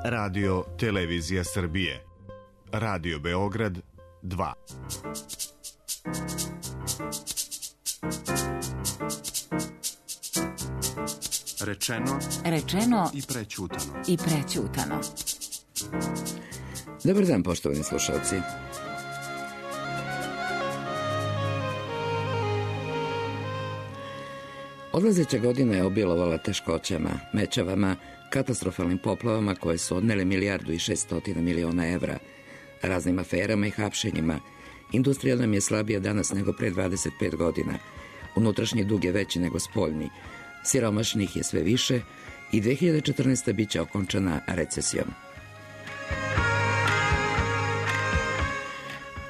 Radio Televizija Srbije. Radio Beograd 2. Rečeno i prećutano. Dobar dan, poštovani slušalci. Odlazeća godina je obilovala teškoćama, mečavama, katastrofalnim poplavama koje su odnele 1.600.000.000 evra, raznim aferama i hapšenjima. Industrija nam je slabija danas nego pre 25 godina. Unutrašnji dug je veći nego spoljni. Siromašnih je sve više i 2014. bit će okončana recesijom.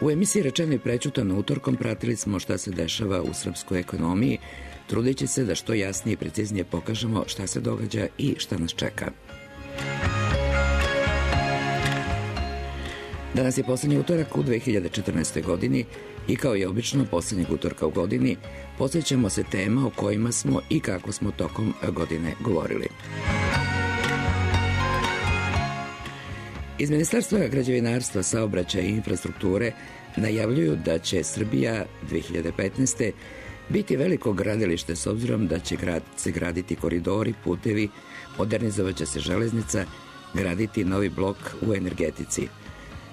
U emisiji Rečeno i prećutano utorkom pratili smo šta se dešava u srpskoj ekonomiji, trudeći se da što jasnije i preciznije pokažemo šta se događa i šta nas čeka. Danas je poslednji utorak u 2014. godini i kao i obično poslednjeg utorka u godini posvećamo se tema o kojima smo i kako smo tokom godine govorili. Iz Ministarstva građevinarstva, saobraćaja i infrastrukture najavljuju da će Srbija 2015. biti veliko gradilište s obzirom da će se graditi koridori, putevi, modernizovaće se železnica, graditi novi blok u energetici.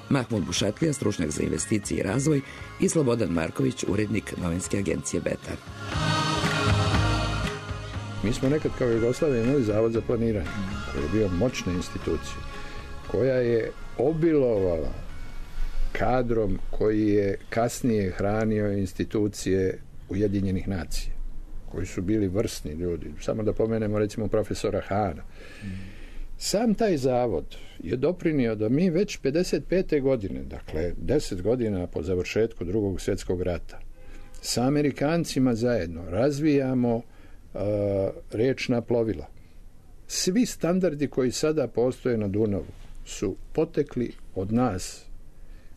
Mahmud Bušatlija, stručnjak za investicije i razvoj, i Slobodan Marković, urednik novinske agencije Betar. Mi smo nekad kao Jugoslavija imali Zavod za planiranje, koji je bio moćna institucija, koja je obilovala kadrom koji je kasnije hranio institucije Ujedinjenih nacija, koji su bili vrsni ljudi. Samo da pomenemo recimo profesora Hana. Sam taj zavod je doprinio da mi već 55. godine, dakle 10 godina po završetku Drugog svjetskog rata, sa Amerikancima zajedno razvijamo riječna plovila. Svi standardi koji sada postoje na Dunavu su potekli od nas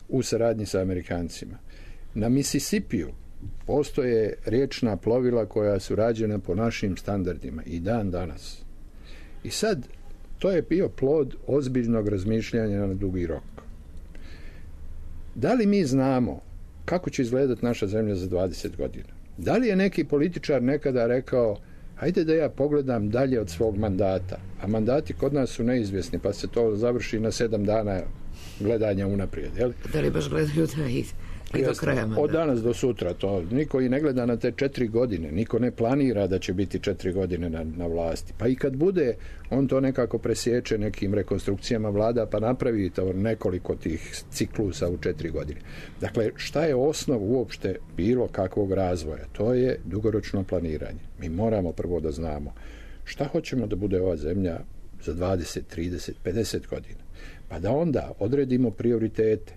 u saradnji sa Amerikancima. Na Misisipiju postoje riječna plovila koja su rađena po našim standardima i dan danas. I sad, to je bio plod ozbiljnog razmišljanja na dugi rok. Da li mi znamo kako će izgledati naša zemlja za 20 godina? Da li je neki političar nekada rekao, hajde da ja pogledam dalje od svog mandata, a mandati kod nas su neizvjesni, pa se to završi na 7 dana gledanja unaprijed, jel? Da li baš gledaju da i do kraja mandata? Od danas do sutra, to niko i ne gleda na te 4 godine, niko ne planira da će biti 4 godine na vlasti. Pa i kad bude, on to nekako presječe nekim rekonstrukcijama vlada, pa napravi to nekoliko tih ciklusa u 4 godine. Dakle, šta je osnov uopšte bilo kakvog razvoja? To je dugoročno planiranje. Mi moramo prvo da znamo šta hoćemo da bude ova zemlja za 20, 30, 50 godina. Pa da onda odredimo prioritete.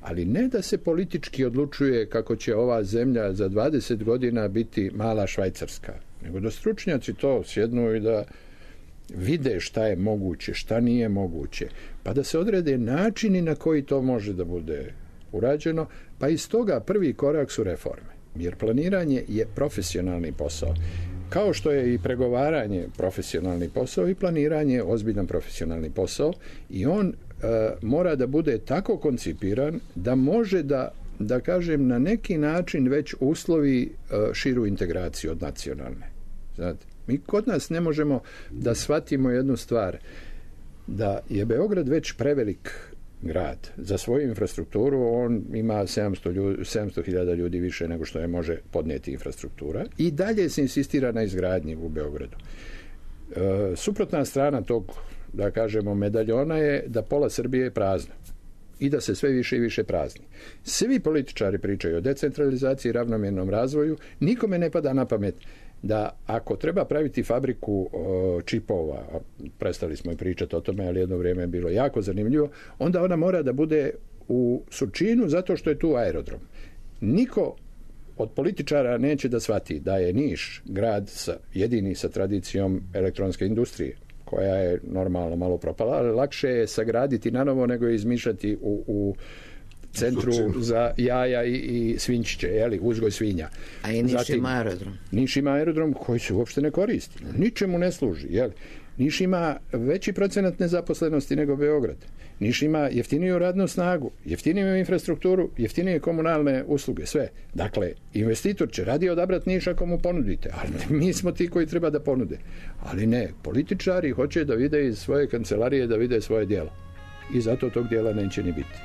Ali ne da se politički odlučuje kako će ova zemlja za 20 godina biti mala Švajcarska, nego da stručnjaci to sjednu i da vide šta je moguće, šta nije moguće, pa da se odrede načini na koji to može da bude urađeno, pa iz toga prvi korak su reforme. Jer planiranje je profesionalni posao. Kao što je i pregovaranje profesionalni posao, i planiranje je ozbiljan profesionalni posao i on mora da bude tako koncipiran da može da kažem, na neki način već uslovi širu integraciju od nacionalne. Znate, mi kod nas ne možemo da shvatimo jednu stvar, da je Beograd već prevelik grad. Za svoju infrastrukturu on ima 700.000 ljudi više nego što je može podnijeti infrastruktura i dalje se insistira na izgradnji u Beogradu. Suprotna strana tog, da kažemo, medaljona je da pola Srbije je prazno i da se sve više i više prazni. Svi političari pričaju o decentralizaciji i ravnomjernom razvoju, nikome ne pada na pamet da ako treba praviti fabriku čipova, prestali smo i pričati o tome, ali jedno vrijeme je bilo jako zanimljivo, onda ona mora da bude u Surčinu zato što je tu aerodrom. Niko od političara neće da shvati da je Niš grad jedini sa tradicijom elektronske industrije, koja je normalno malo propala, ali lakše je sagraditi nanovo nego je izmišljati u centru za jaja i svinčiće, jeli, uzgoj svinja. A i Niš ima aerodrom. Niš ima aerodrom koji se uopšte ne koristi. Ničemu ne služi, jeli. Niš ima veći procenat nezaposlenosti nego Beograd. Niš ima jeftiniju radnu snagu, jeftiniju infrastrukturu, jeftinije komunalne usluge, sve. Dakle, investitor će radije odabrati Niš ako mu ponudite, ali mi smo ti koji treba da ponude. Ali ne, političari hoće da vide iz svoje kancelarije, da vide svoje djelo. I zato tog djela neće ni biti.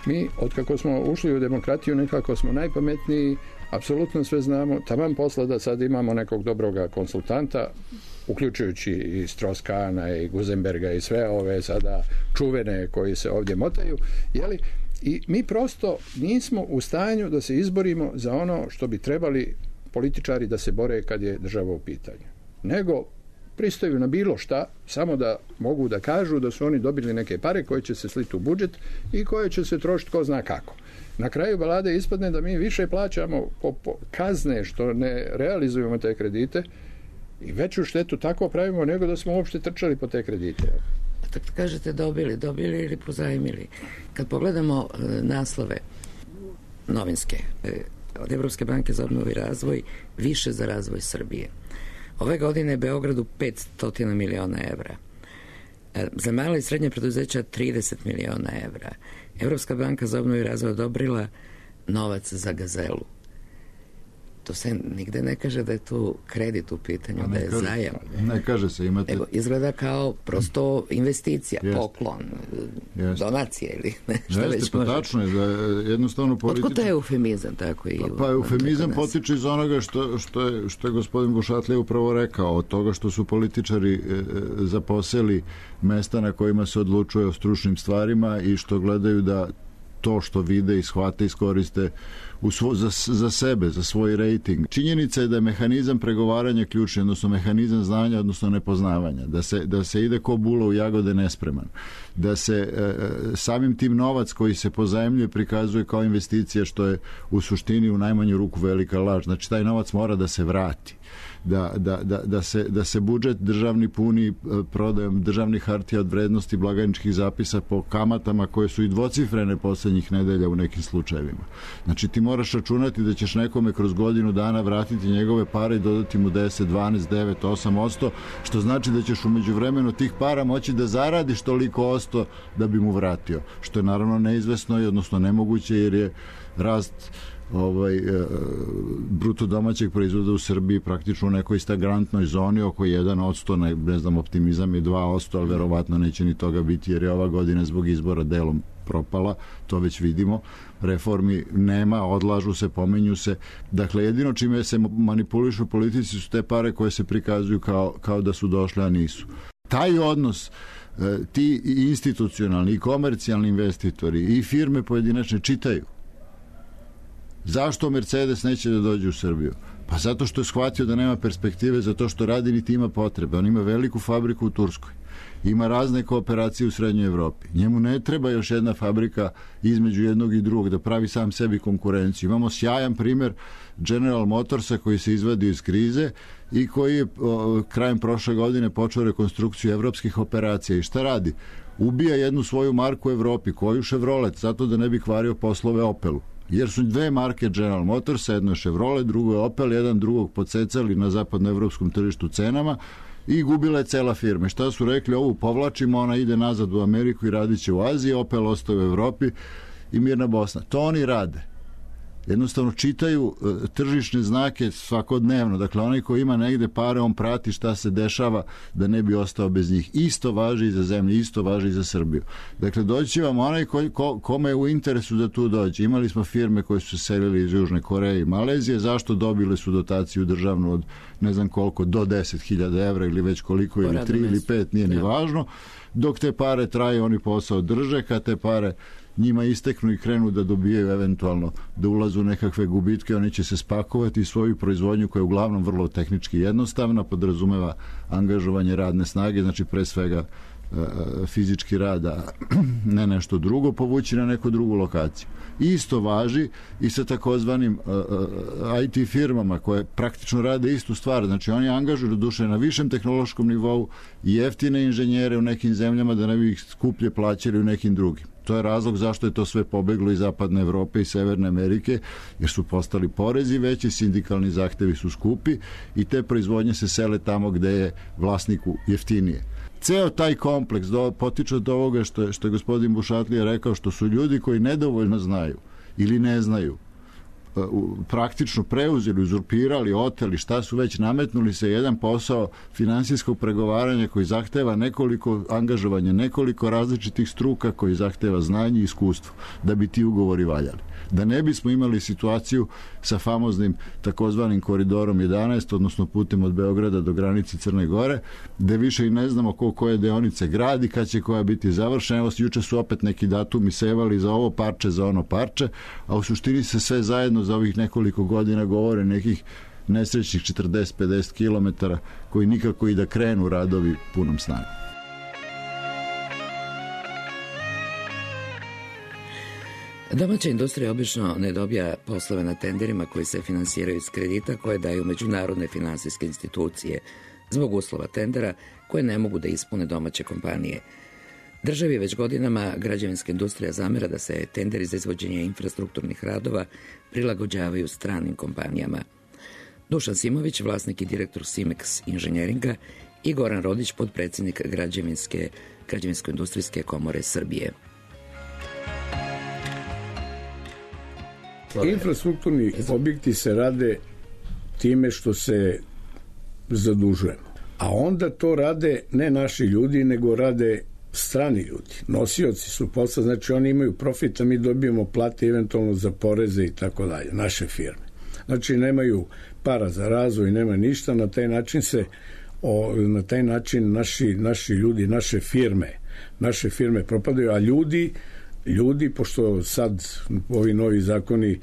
Mi, otkako smo ušli u demokratiju, nekako smo najpametniji, apsolutno sve znamo, taman posla da sad imamo nekog dobroga konsultanta, uključujući i Strauss-Kahna i Guzenberga i sve ove sada čuvene koji se ovdje motaju, jeli? I mi prosto nismo u stanju da se izborimo za ono što bi trebali političari da se bore kad je država u pitanju. Nego pristaju na bilo šta, samo da mogu da kažu da su oni dobili neke pare koje će se sliti u budžet i koje će se trošiti ko zna kako. Na kraju balade ispadne da mi više plaćamo po kazne što ne realizujemo te kredite i veću štetu tako pravimo nego da smo uopšte trčali po te kredite. Tako kažete dobili ili pozajmili. Kad pogledamo naslove novinske od Evropske banke za obnovu i razvoj, više za razvoj Srbije. Ove godine Beogradu 500 miliona evra. Za male i srednje preduzeća 30 miliona evra. Evropska banka za obnovu i razvoj odobrila novac za Gazelu. To se nigde ne kaže da je tu kredit u pitanju, da je zajam. Ne kaže se, imate... Evo, izgleda kao prosto investicija, poklon, donacije ili nešto već može. Tačno je, da jednostavno politički... Otkud je eufemizam tako i... Pa eufemizam potiče iz onoga što je gospodin Gušatlija upravo rekao, od toga što su političari zaposeli mesta na kojima se odlučuje o stručnim stvarima i što gledaju da to što vide i shvate iskoriste za sebe, za svoj rejting. Činjenica je da je mehanizam pregovaranja ključni, odnosno mehanizam znanja, odnosno nepoznavanja. Da se ide ko bula u jagode nespreman. Da se samim tim novac koji se pozajmljuje prikazuje kao investicija, što je u suštini u najmanju ruku velika laž. Znači, taj novac mora da se vrati. Da se budžet državni puni prodajom državnih hartija od vrednosti blagajničkih zapisa po kamatama koje su i dvocifrene posljednjih nedelja u nekim slučajevima. Znači, ti moraš računati da ćeš nekome kroz godinu dana vratiti njegove pare i dodati mu 10, 12, 9, 8%, što znači da ćeš u međuvremenu tih para moći da zaradiš toliko osto da bi mu vratio. Što je naravno neizvesno i odnosno nemoguće, jer je rast bruto domaćeg proizvoda u Srbiji praktično u nekoj stagnantnoj zoni oko 1%, ne znam, optimizam je 2%, ali verovatno neće ni toga biti, jer je ova godina zbog izbora delom propala, to već vidimo. Reformi nema, odlažu se, pominju se. Dakle, jedino čime se manipulišu politici su te pare koje se prikazuju kao da su došle, a nisu. Taj odnos, ti institucionalni i komercijalni investitori i firme pojedinačne čitaju. Zašto Mercedes neće da dođe u Srbiju? Pa zato što je shvatio da nema perspektive, zato što radi niti ima potrebe. On ima veliku fabriku u Turskoj. Ima razne kooperacije u Srednjoj Evropi. Njemu ne treba još jedna fabrika između jednog i drugog da pravi sam sebi konkurenciju. Imamo sjajan primjer General Motorsa koji se izvadio iz krize i koji je krajem prošle godine počeo rekonstrukciju evropskih operacija. I šta radi? Ubija jednu svoju marku u Evropi, koju Chevrolet, zato da ne bi kvario poslove Opelu. Jer su dve marke General Motorsa, jedno je Chevrolet, drugo je Opel, jedan drugog podsecali na zapadnoevropskom tržištu cenama i gubila je cela firma. Šta su rekli? Ovu povlačimo, ona ide nazad u Ameriku i radit će u Aziji, Opel ostaje u Evropi i mirna Bosna. To oni rade. Jednostavno čitaju tržišne znake svakodnevno. Dakle, onaj ko ima negde pare, on prati šta se dešava da ne bi ostao bez njih. Isto važi i za zemlju, isto važi i za Srbiju. Dakle, doći vam onaj kome je u interesu da tu dođe. Imali smo firme koje su se selili iz Južne Koreje i Malezije. Zašto? Dobili su dotaciju državnu od ne znam koliko, do 10.000 evra ili već koliko, ili 3 ili 5, nije ni važno. Dok te pare traje, oni posao drže. Kad te pare njima isteknu i krenu da dobijaju eventualno da ulazu u nekakve gubitke, oni će se spakovati i svoju proizvodnju koja je uglavnom vrlo tehnički jednostavna, podrazumeva angažovanje radne snage, znači pre svega fizički rada, ne nešto drugo, povući na neku drugu lokaciju. Isto važi i sa takozvanim IT firmama koje praktično rade istu stvar. Znači oni angažuju do duše na višem tehnološkom nivou i jeftine inženjere u nekim zemljama da ne bi ih skuplje plaćali u nekim drugim. To je razlog zašto je to sve pobeglo iz zapadne Evrope i Severne Amerike, jer su postali porezi veći, sindikalni zahtevi su skupi i te proizvodnje se sele tamo gde je vlasniku jeftinije. Ceo taj kompleks potiče od ovoga što je gospodin Bušatlija rekao, što su ljudi koji nedovoljno znaju ili ne znaju praktično preuzeli, uzurpirali, oteli, šta su već, nametnuli se jedan posao finansijskog pregovaranja koji zahteva angažovanje nekoliko različitih struka, koji zahteva znanje i iskustvo da bi ti ugovori valjali. Da ne bismo imali situaciju sa famoznim takozvanim koridorom 11, odnosno putem od Beograda do granice Crne Gore, gde više i ne znamo koje deonice gradi, kad će koja biti završena. Evo, juče su opet neki datumi sevali za ovo parče, za ono parče, a u suštini se sve zajedno za ovih nekoliko godina govore nekih nesrećnih 40-50 kilometara koji nikako i da krenu radovi punom snagom. Domaća industrija obično ne dobija poslove na tenderima koji se finansiraju iz kredita koje daju međunarodne finansijske institucije zbog uslova tendera koje ne mogu da ispune domaće kompanije. Državi već godinama građevinska industrija zamera da se tenderi za izvođenje infrastrukturnih radova prilagođavaju stranim kompanijama. Dušan Simović, vlasnik i direktor Simex inženjeringa, i Goran Rodić, podpredsjednik Građevinsko-industrijske komore Srbije. Infrastrukturni objekti se rade time što se zadužujemo. A onda to rade ne naši ljudi, nego rade strani ljudi. Nosioci su posla, znači oni imaju profit, a mi dobijemo plate eventualno za poreze i tako dalje, naše firme. Znači nemaju para za razvoj, nema ništa, na taj način naši ljudi, naše firme propadaju, a ljudi, pošto sad ovi novi zakoni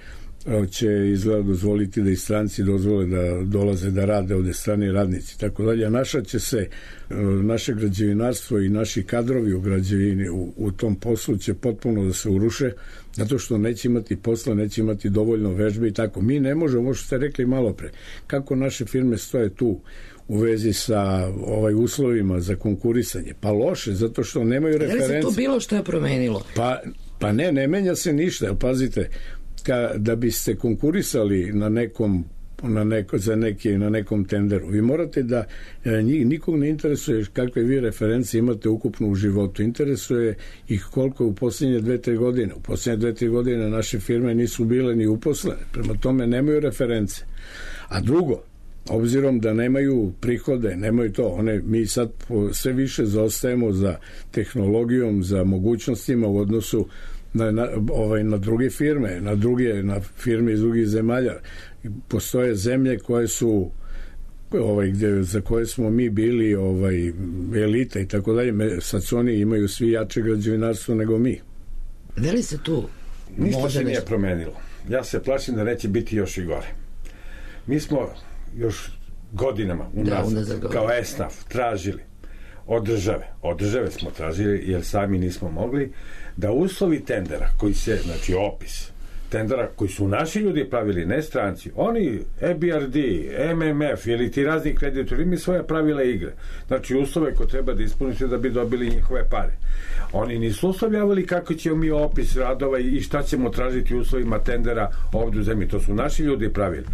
će izgleda dozvoliti da i stranci dozvole da dolaze da rade ovde, strani radnici, tako dalje, a naše građevinarstvo i naši kadrovi u građevini u tom poslu će potpuno da se uruše, zato što neće imati posla, neće imati dovoljno vežbe i tako. Mi ne možemo, što ste rekli malo pre, kako naše firme stoje tu u vezi sa uslovima za konkurisanje. Pa loše, zato što nemaju reference. Je li se to bilo što je promenilo? Pa ne menja se ništa. Pazite, da biste konkurisali na nekom tenderu, vi morate da nikog ne interesuje kakve vi referencije imate ukupno u životu. Interesuje ih koliko je u posljednje 2-3 godine. U posljednje 2-3 godine naše firme nisu bile ni uposlene. Prema tome nemaju reference. A drugo, obzirom da nemaju prihode, nemaju to, mi sad sve više zaostajemo za tehnologijom, za mogućnostima u odnosu na druge firme, na firme iz drugih zemalja. Postoje zemlje koje su za koje smo mi bili elita i tako dalje, sad su oni imaju svi jače građevinarstvo nego mi. Da li se tu ništa se nije promenilo. Ja se plašim da neće biti još i gore. Mi smo još godinama unazad kao ESNAF tražili od države smo tražili, jer sami nismo mogli, da uslovi tendera koji se, znači opis tendera koji su naši ljudi pravili, ne stranci, oni EBRD, MMF ili ti razni kreditori imaju svoje pravila igre, znači uslove koje treba da ispunite da bi dobili njihove pare. Oni nisu uslovljavali kako ćemo mi opis radova i šta ćemo tražiti u uslovima tendera ovdje u zemlji, to su naši ljudi pravili.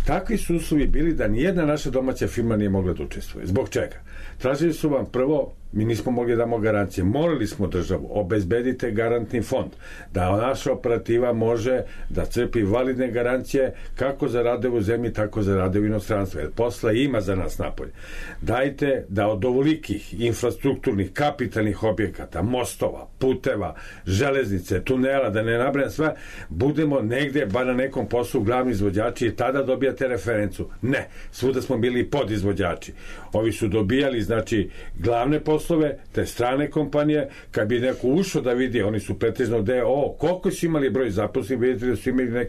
Takvi su uslovi bili da nijedna naša domaća firma nije mogla da učestvuje. Zbog čega? Tražili su vam prvo, mi nismo mogli da damo garancije, morali smo državu, obezbedite garantni fond, da naša operativa može da crpi validne garancije kako za radove u zemlji, tako za radove u inostranstvu, jer posla ima za nas napolje. Dajte da od ovolikih infrastrukturnih, kapitalnih objekata, mostova, puteva, železnice, tunela, da ne nabrajam sve, budemo negde, bar na nekom poslu glavni izvođači i tada dobijate referencu. Ne, svuda smo bili podizvođači. Ovi su dobijali, znači, glavne poslove, te strane kompanije, kad bi neko ušao da vidi, oni su pretežno koliko su imali broj zaposlenih, vidite da su imali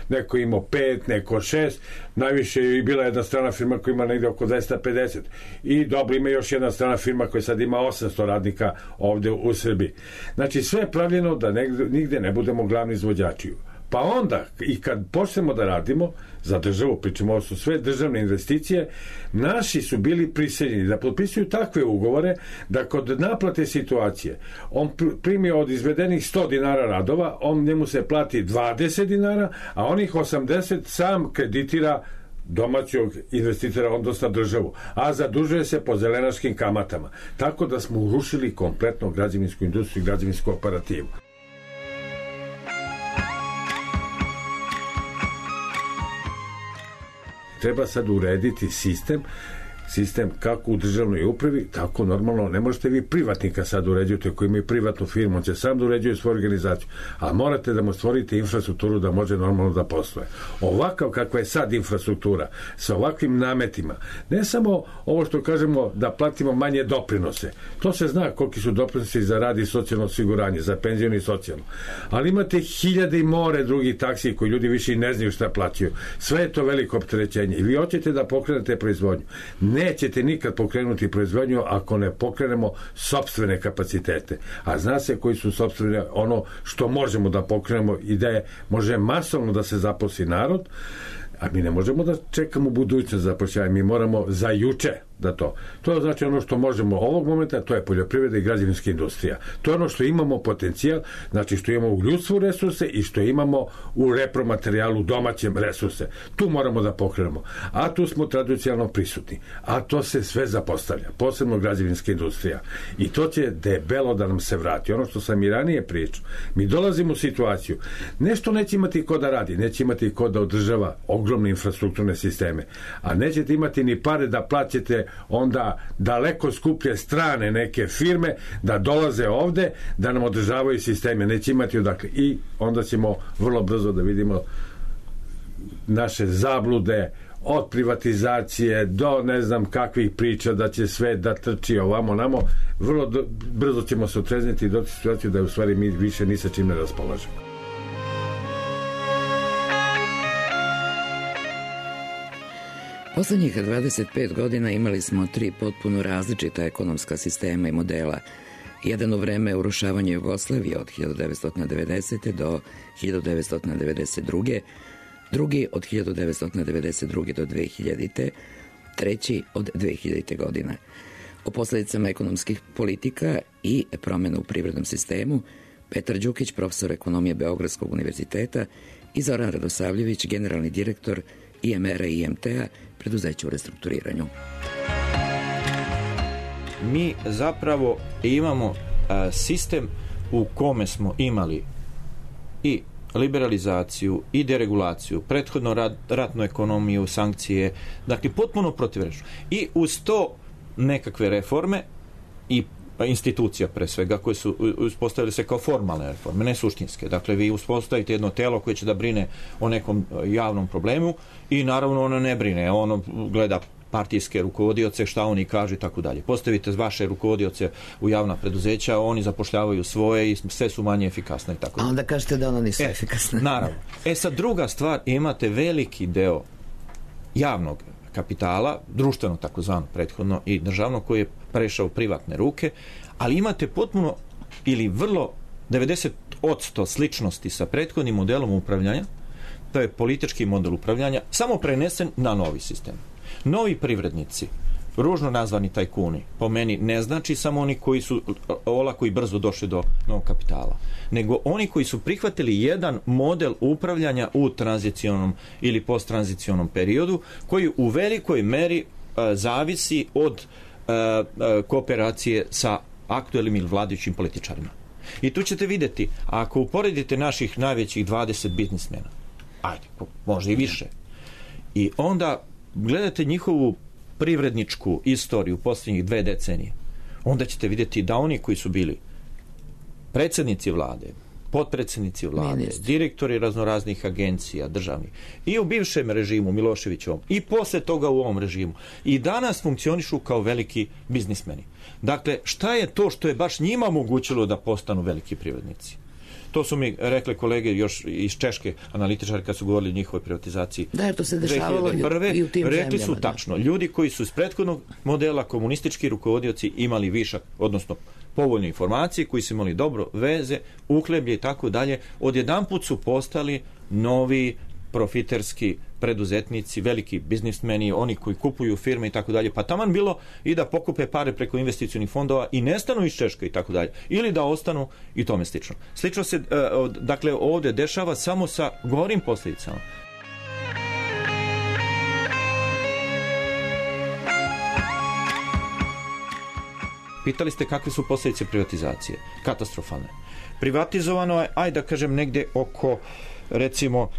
neko imao 5, neko 6, najviše je bila jedna strana firma koja ima negde oko 250 i dobro, ima još jedna strana firma koja sad ima 800 radnika ovde u Srbiji. Znači sve je pravljeno da nigde ne budemo glavni izvođači. Pa onda, i kad počnemo da radimo, za državu, pričamo, ovo su sve državne investicije, naši su bili prisiljeni da potpisuju takve ugovore da kod naplate situacije on primi od izvedenih 100 dinara radova, njemu se plati 20 dinara, a onih 80 sam kreditira domaćog investitora, odnosno državu, a zadužuje se po zelenaškim kamatama. Tako da smo urušili kompletno građevinsku industriju i građevinsku operativu. Treba sad urediti sistem kako u državnoj upravi, tako normalno ne možete vi privatnika sad uređujete koji imaju privatnu firmu, on će sam da uređuje svoju organizaciju, a morate da mu stvorite infrastrukturu da može normalno da posluje. Ovakav kakva je sad infrastruktura, sa ovakvim nametima, ne samo ovo što kažemo da platimo manje doprinose, to se zna koliki su doprinosi za rad i socijalno osiguranje, za penzijno i socijalno, ali imate hiljade i more drugih taksi koji ljudi više i ne znaju šta plaćaju. Sve je to veliko opterećenje i vi hoćete da pokrenete proizvodnju. Nećete nikad pokrenuti proizvodnju ako ne pokrenemo sopstvene kapacitete. A zna se koji su sopstvene, ono što možemo da pokrenemo i da može masovno da se zaposli narod, a mi ne možemo da čekamo budućnost zapošljavanja, mi moramo za juče da to. To je znači ono što možemo ovog momenta, to je poljoprivreda i građevinska industrija. To je ono što imamo potencijal, znači što imamo u ljudstvu resurse i što imamo u repromaterijalu domaćem resurse. Tu moramo da pokrenemo. A tu smo tradicionalno prisutni. A to se sve zapostavlja. Posebno građevinska industrija. I to će debelo da nam se vrati. Ono što sam i ranije pričao. Mi dolazimo u situaciju. Nešto neće imati ko da radi. Neće imati ko da održava ogromne infrastrukturne sisteme. A nećete imati ni pare da plaćate onda daleko skuplje strane neke firme da dolaze ovde da nam održavaju sisteme, neće imati odakle i onda ćemo vrlo brzo da vidimo naše zablude od privatizacije do ne znam kakvih priča da će sve da trči ovamo namo, vrlo brzo ćemo se otrezniti i doći u situaciju da u stvari mi više ni sa čim ne raspolažemo. Poslednjih 25 godina imali smo 3 potpuno različita ekonomska sistema i modela. Jedan u vreme urušavanja Jugoslavije od 1990. do 1992. Drugi od 1992. do 2000. Treći od 2000. godine. O posledicama ekonomskih politika i promjena u privrednom sistemu Petar Đukić, profesor ekonomije Beogradskog univerziteta i Zoran Radosavljević, generalni direktor IMR-a i IMT-a, preduzeća u restrukturiranju. Mi zapravo imamo sistem u kome smo imali i liberalizaciju i deregulaciju, prethodno ratnu ekonomiju, sankcije, dakle potpuno protivrečno. I uz to nekakve reforme i institucija pre svega koje su uspostavili se kao formalne reforme, ne suštinske. Dakle, vi uspostavite jedno telo koje će da brine o nekom javnom problemu i naravno ono ne brine, ono gleda partijske rukovodioce, šta oni kažu i tako dalje. Postavite vaše rukovodioce u javna preduzeća, oni zapošljavaju svoje i sve su manje efikasne i tako dalje. A onda kažete da ono nisu efikasne. Naravno. Sad druga stvar, imate veliki deo javnog kapitala, društveno takozvano prethodno i državno, koji je prešao u privatne ruke, ali imate potpuno ili vrlo 90% sličnosti sa prethodnim modelom upravljanja, to je politički model upravljanja, samo prenesen na novi sistem. Novi privrednici, ružno nazvani tajkuni, po meni ne znači samo oni koji su olako i brzo došli do novog kapitala, nego oni koji su prihvatili jedan model upravljanja u tranzicionom ili posttranzicionom periodu, koji u velikoj meri zavisi od kooperacije sa aktuelnim ili vladajućim političarima. I tu ćete vidjeti, ako uporedite naših najvećih 20 biznismena, ajde, možda i više, i onda gledate njihovu privredničku istoriju posljednjih 2 decenije, onda ćete vidjeti da oni koji su bili predsjednici vlade, potpredsjednici vlade, direktori raznoraznih agencija državnih i u bivšem režimu Miloševićevom i posle toga u ovom režimu i danas funkcionišu kao veliki biznismeni. Dakle, šta je to što je baš njima omogućilo da postanu veliki privrednici? To su mi rekli kolege još iz Češke analitičari kad su govorili o njihovoj privatizaciji. Da, to se dešavalo i u tim rekli zemljama, su tačno, ljudi koji su iz prethodnog modela komunistički rukovodioci imali višak, odnosno povoljne informacije, koji su imali dobro veze, uhleblje i tako dalje, odjedanput su postali novi profiterski preduzetnici, veliki biznismeni, oni koji kupuju firme i tako dalje, pa taman bilo i da pokupe pare preko investicionih fondova i nestanu iz Češke i tako dalje, ili da ostanu i tome slično. Slično se, dakle, ovdje dešava samo sa gorim posljedicama. Pitali ste kakve su posljedice privatizacije. Katastrofalne. Privatizovano je, ajde da kažem, negdje oko, recimo,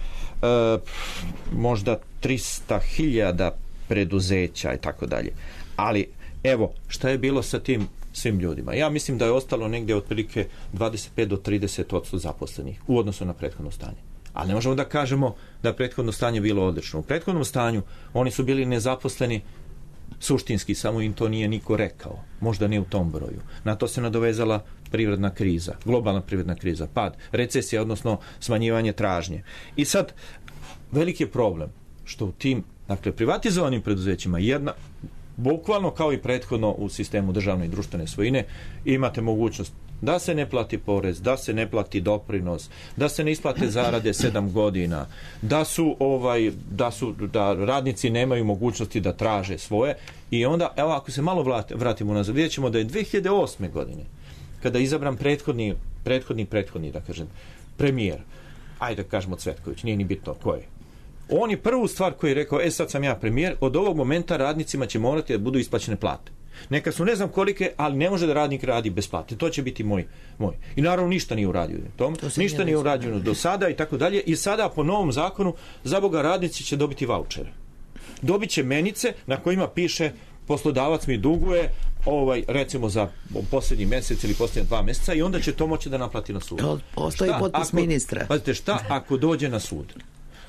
možda 300.000 preduzeća i tako dalje. Ali, evo, šta je bilo sa tim svim ljudima? Ja mislim da je ostalo negdje otprilike 25 do 30% zaposlenih u odnosu na prethodno stanje. Ali ne možemo da kažemo da je prethodno stanje bilo odlično. U prethodnom stanju oni su bili nezaposleni suštinski, samo im to nije niko rekao. Možda ne u tom broju. Na to se nadovezala privredna kriza, globalna privredna kriza, pad, recesija, odnosno smanjivanje tražnje. I sad, veliki je problem što u tim, dakle, privatizovanim preduzećima bukvalno kao i prethodno u sistemu državne i društvene svojine, imate mogućnost da se ne plati porez, da se ne plati doprinos, da se ne isplate zarade 7 godina, da radnici nemaju mogućnosti da traže svoje. I onda, evo, ako se malo vratimo nazad, vidjet ćemo da je 2008. godine, kada je izabran prethodni, da kažem, premijer, ajde da kažemo Cvetković, nije ni bitno ko je. On je prvu stvar koju je rekao, sad sam ja premijer, od ovog momenta radnicima će morati da budu isplaćene plate. Neka su ne znam kolike, ali ne može da radnik radi bez plate. To će biti moj. I naravno ništa nije uradio. Ništa nije urađeno do sada i tako dalje. I sada po novom zakonu, za Boga, radnici će dobiti vaučere. Dobit će menice na kojima piše poslodavac mi duguje recimo za posljednji mjesec ili posljednja 2 mjeseca i onda će to moći da naplati na sudu. To postoji potpis ministra. Pazite, šta ako dođe na sud?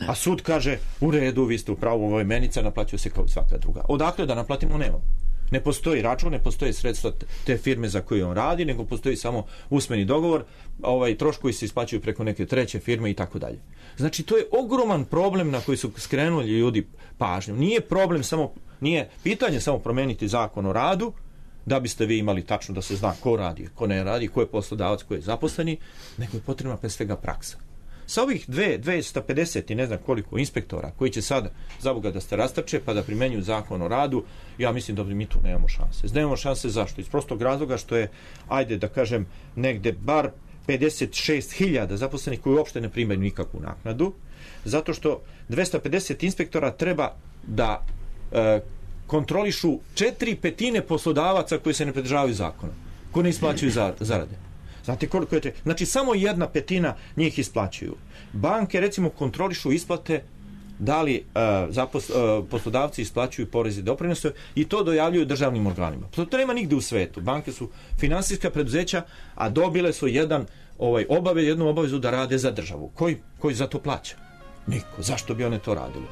A sud kaže, u redu, vi ste u pravu, ovo je menica, naplaćuje se kao i svaka druga. Odakle da naplatimo, nemamo. Ne postoji račun, ne postoje sredstva te firme za koju on radi, nego postoji samo usmeni dogovor, troškovi se isplaćuju preko neke treće firme i tako dalje. Znači, to je ogroman problem na koji su skrenuli ljudi pažnju. Nije pitanje samo promeniti zakon o radu, da biste vi imali tačno da se zna ko radi, ko ne radi, ko je poslodavac, ko je zaposleni, nego je potrebna pre svega praksa. Sa ovih 250 i ne znam koliko inspektora koji će sada, za Boga, da se rastrče pa da primenjuju zakon o radu, ja mislim da mi tu nemamo šanse. Nemamo šanse zašto? Iz prostog razloga što je, ajde da kažem, negde bar 56.000 zaposlenih koji uopšte ne primaju nikakvu naknadu, zato što 250 inspektora treba da kontrolišu 4/5 poslodavaca koji se ne pridržavaju zakona, koji ne isplaćuju zarade. Znate koliko je to? Znači, samo 1/5 njih isplaćuju. Banke, recimo, kontrolišu isplate da li poslodavci isplaćuju poreze i doprinose i to dojavljuju državnim organima. To nema nigde u svetu. Banke su finansijska preduzeća, a dobile su jednu obavezu da rade za državu. Koji za to plaća? Niko. Zašto bi one to radili?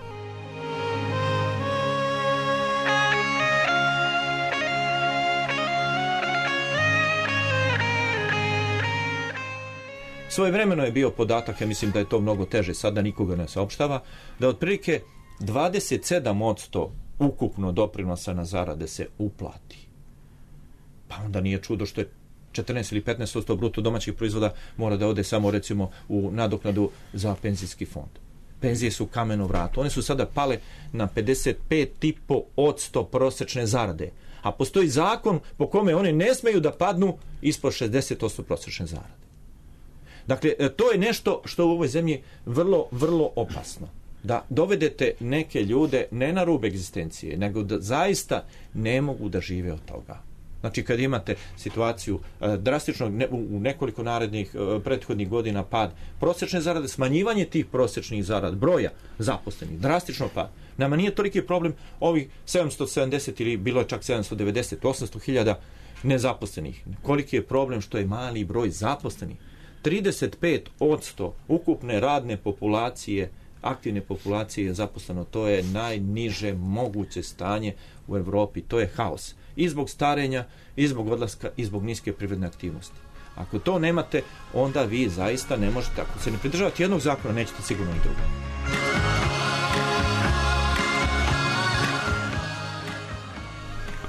Svojevremeno je bio podatak, ja mislim da je to mnogo teže, sada nikoga ne saopštava, da otprilike 27% ukupno doprinosa na zarade se uplati. Pa onda nije čudo što je 14 ili 15% bruto domaćih proizvoda mora da ode samo, recimo, u nadoknadu za penzijski fond. Penzije su kameno vrato. One su sada pale na 55,5% prosečne zarade. A postoji zakon po kome one ne smeju da padnu ispod 60% prosečne zarade. Dakle, to je nešto što u ovoj zemlji vrlo, vrlo opasno. Da dovedete neke ljude ne na rub egzistencije, nego da zaista ne mogu da žive od toga. Znači, kad imate situaciju drastično u nekoliko narednih prethodnih godina pad prosječne zarade, smanjivanje tih prosječnih zarada, broja zaposlenih, drastično pad. Nama nije toliki problem ovih 770 ili bilo je čak 790, 800.000 nezaposlenih. Koliki je problem što je mali broj zaposlenih? 35% ukupne radne populacije, aktivne populacije je zaposleno. To je najniže moguće stanje u Evropi. To je haos. I zbog starenja, i zbog odlaska, i zbog niske privredne aktivnosti. Ako to nemate, onda vi zaista ne možete, ako se ne pridržavate jednog zakona, nećete sigurno i drugog.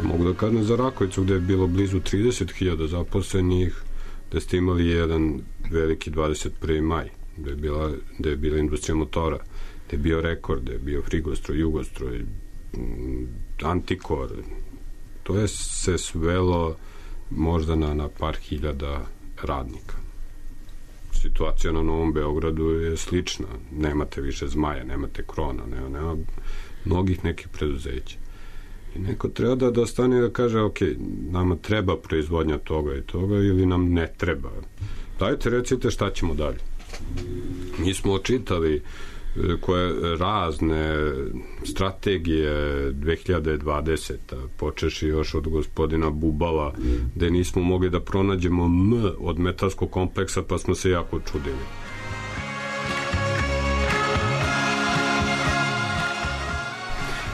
Mogu da kažem za Rakovicu, gde je bilo blizu 30.000 zaposlenih, da ste imali jedan veliki 21. maj, gde je bila industrija motora. gde je bio Rekord, gde je bio Frigostroj, Jugostroj, Antikor. To je se svelo možda na par hiljada radnika. Situacija na Novom Beogradu je slična. Nemate više Zmaja, nemate Krona, nema mnogih nekih preduzeća. I neko treba da stane da kaže, ok, nama treba proizvodnja toga i toga ili nam ne treba. Dajte, recite šta ćemo dalje. Mi smo očitali koje razne strategije 2020, počeši još od gospodina Bubala, gde nismo mogli da pronađemo M od metalskog kompleksa, pa smo se jako čudili.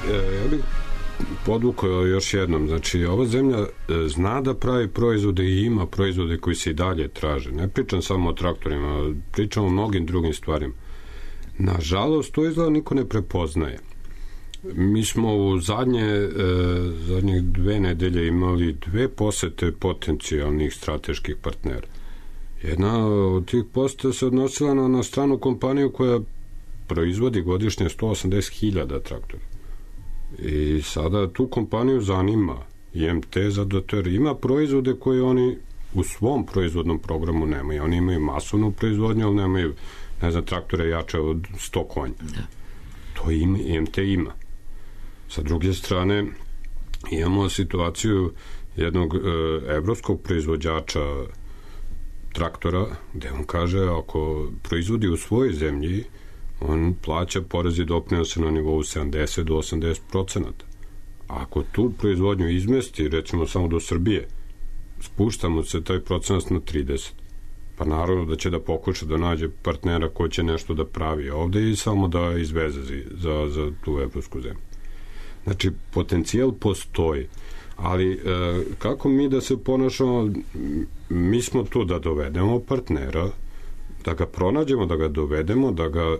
Ja bih podvukao još jednom, znači ova zemlja zna da pravi proizvode i ima proizvode koji se i dalje traže. Ne pričam samo o traktorima, pričam o mnogim drugim stvarima. Nažalost, to izgleda niko ne prepoznaje. Mi smo u zadnjih 2 nedelje imali 2 posete potencijalnih strateških partnera. Jedna od tih poseta se odnosila na stranu kompaniju koja proizvodi godišnje 180.000 traktora. I sada tu kompaniju zanima IMT zato jer ima proizvode koje oni u svom proizvodnom programu nemaju. Oni imaju masovnu proizvodnju, ali nemaju, ne znam, traktore jače od 100 konja. To IMT ima. Sa druge strane, imamo situaciju jednog evropskog proizvođača traktora, gde on kaže, ako proizvodi u svojoj zemlji, on plaća porez i doprinose na nivou 70 do 80%. Ako tu proizvodnju izmesti, recimo samo do Srbije, spuštamo se taj procenat na 30. Pa naravno da će da pokuša da nađe partnera ko će nešto da pravi ovde i samo da izveze za tu evropsku zemlju. Znači, potencijal postoji, ali kako mi da se ponašamo? Mi smo tu da dovedemo partnera, da ga pronađemo, da ga dovedemo, da ga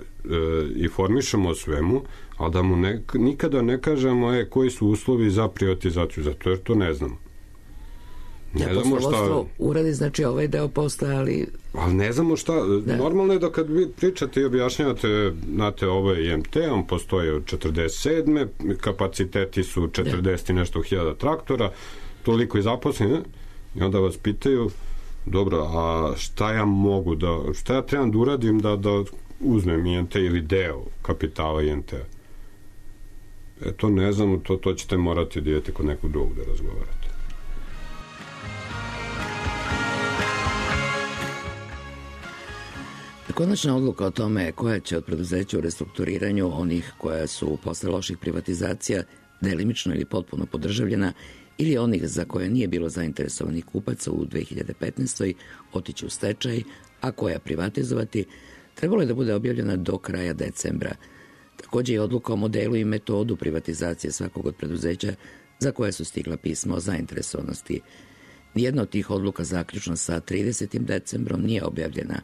informišemo o svemu, ali da mu nikada ne kažemo koji su uslovi za privatizaciju, zato jer to ne znamo. Poslovodstvo uradi, znači ovaj deo posla, ali ne znamo šta. Normalno je da kad vi pričate i objašnjavate, znate, ovo je IMT, on postoje od 47. kapaciteti su 40 i nešto hiljada traktora, toliko i zaposleni, i onda vas pitaju, dobro, a šta ja mogu šta ja trebam da uradim da uzmem IMT ili deo kapitala IMT? To ne znam, to ćete morati da idete kod nekog drugog da razgovarate. Konačna odluka o tome koja će od preduzeća u restrukturiranju, onih koja su posle loših privatizacija delimično ili potpuno podržavljena, ili onih za koje nije bilo zainteresovanih kupaca u 2015. otići u stečaj, a koja privatizovati, trebalo je da bude objavljena do kraja decembra. Takođe je odluka o modelu i metodu privatizacije svakog od preduzeća za koje su stigla pisma o zainteresovanosti. Nijedna od tih odluka zaključno sa 30. decembrom nije objavljena.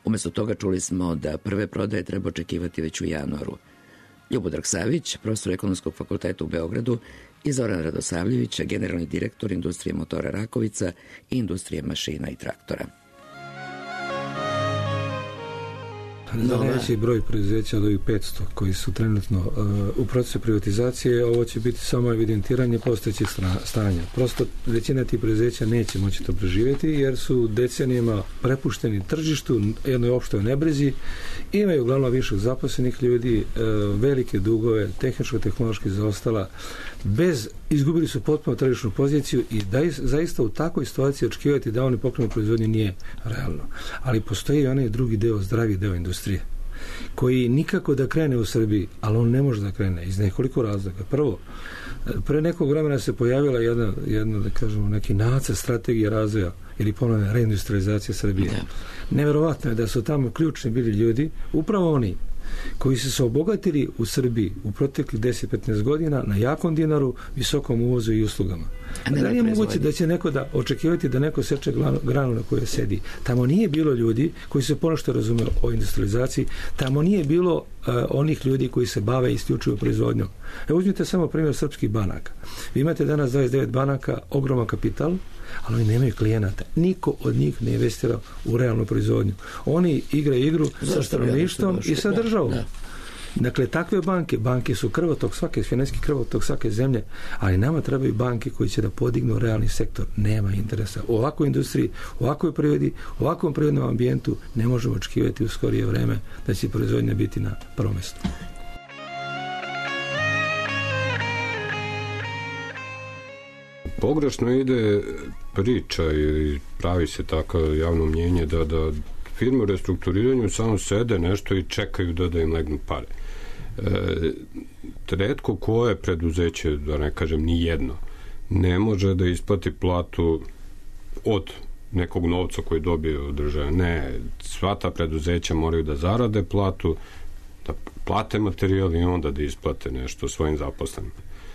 Umesto toga čuli smo da prve prodaje treba očekivati već u januaru. Ljubodrag Savić, profesor Ekonomskog fakulteta u Beogradu, i Zoran Radosavljević, generalni direktor Industrije motora Rakovica i Industrije mašina i traktora. Za najveći broj preduzeća od ovih 500 koji su trenutno u procesu privatizacije, ovo će biti samo evidentiranje postojećih stanja. Prosto većina tih preduzeća neće moći to preživjeti jer su decenijama prepušteni tržištu, jednoj opštoj nebrizi, imaju uglavnom više zaposlenih ljudi, velike dugove, tehničko-tehnološki zaostala, izgubili su potpuno tržišnu poziciju i zaista u takvoj situaciji očekivati da oni pokrenu proizvodnju nije realno. Ali postoji onaj drugi deo, zdravi deo industrije, koji nikako da krene u Srbiji, ali on ne može da krene iz nekoliko razloga. Prvo, pre nekog vremena se pojavila jedna da kažemo, neki nacrt strategije razvoja ili ponovne reindustrializacije Srbije. Neverovatno je da su tamo ključni bili ljudi, upravo oni koji su se obogatili u Srbiji u proteklih 10-15 godina na jakom dinaru, visokom uvozu i uslugama. Da li je moguće da će neko da očekivati da neko seče granu na kojoj sedi? Tamo nije bilo ljudi koji se ponešto razume o industrializaciji, tamo nije bilo onih ljudi koji se bave isključivo proizvodnjom. Uzmite samo primjer srpskih banaka. Vi imate danas 29 banaka, ogroman kapital, ali oni nemaju klijenata. Niko od njih ne investira u realnu proizvodnju. Oni igraju igru sa stanovništvom i sa državom. Dakle, takve banke su krvotok financijski krvotok svake zemlje, ali nama trebaju banke koji će da podignu realni sektor. Nema interesa. U ovakvoj industriji, u ovakvoj privredi, u ovakvom prirodnom ambijentu ne možemo očekivati u skorije vreme da će proizvodnja biti na prvom mjestu. Pogrešno ide priča i pravi se tako javno mnjenje da firme u restrukturiranju samo sede nešto i čekaju da im legnu pare. Retko koje preduzeće, da ne kažem ni jedno, ne može da isplati platu od nekog novca koji dobije od države. Ne, sva ta preduzeća moraju da zarade platu, da plate materijal i onda da isplate nešto svojim zaposlenim.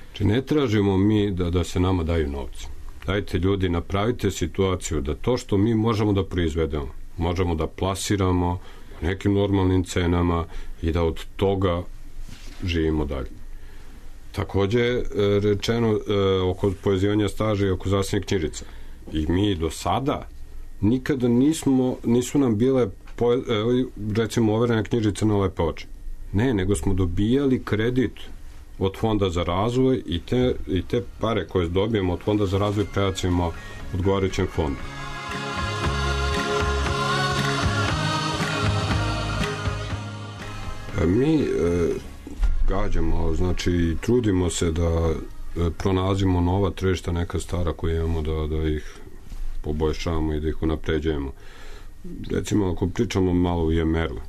Znači, ne tražimo mi da se nama daju novci. Dajte ljudi, napravite situaciju da to što mi možemo da proizvedemo, možemo da plasiramo nekim normalnim cenama i da od toga živimo dalje. Takođe, rečeno oko povezivanja staža i oko zasebnih knjižica. I mi do sada nikada nisu nam bile recimo overene knjižice na lepe oči. Ne, nego smo dobijali kredit od Fonda za razvoj i te pare koje dobijemo od Fonda za razvoj prebacimo odgovarajućem fondu. Mi gađamo, znači trudimo se da pronalazimo nova tržišta, neka stara koja imamo, da ih poboljšavamo i da ih unapređujemo. Recimo, ako pričamo malo o IMR-u,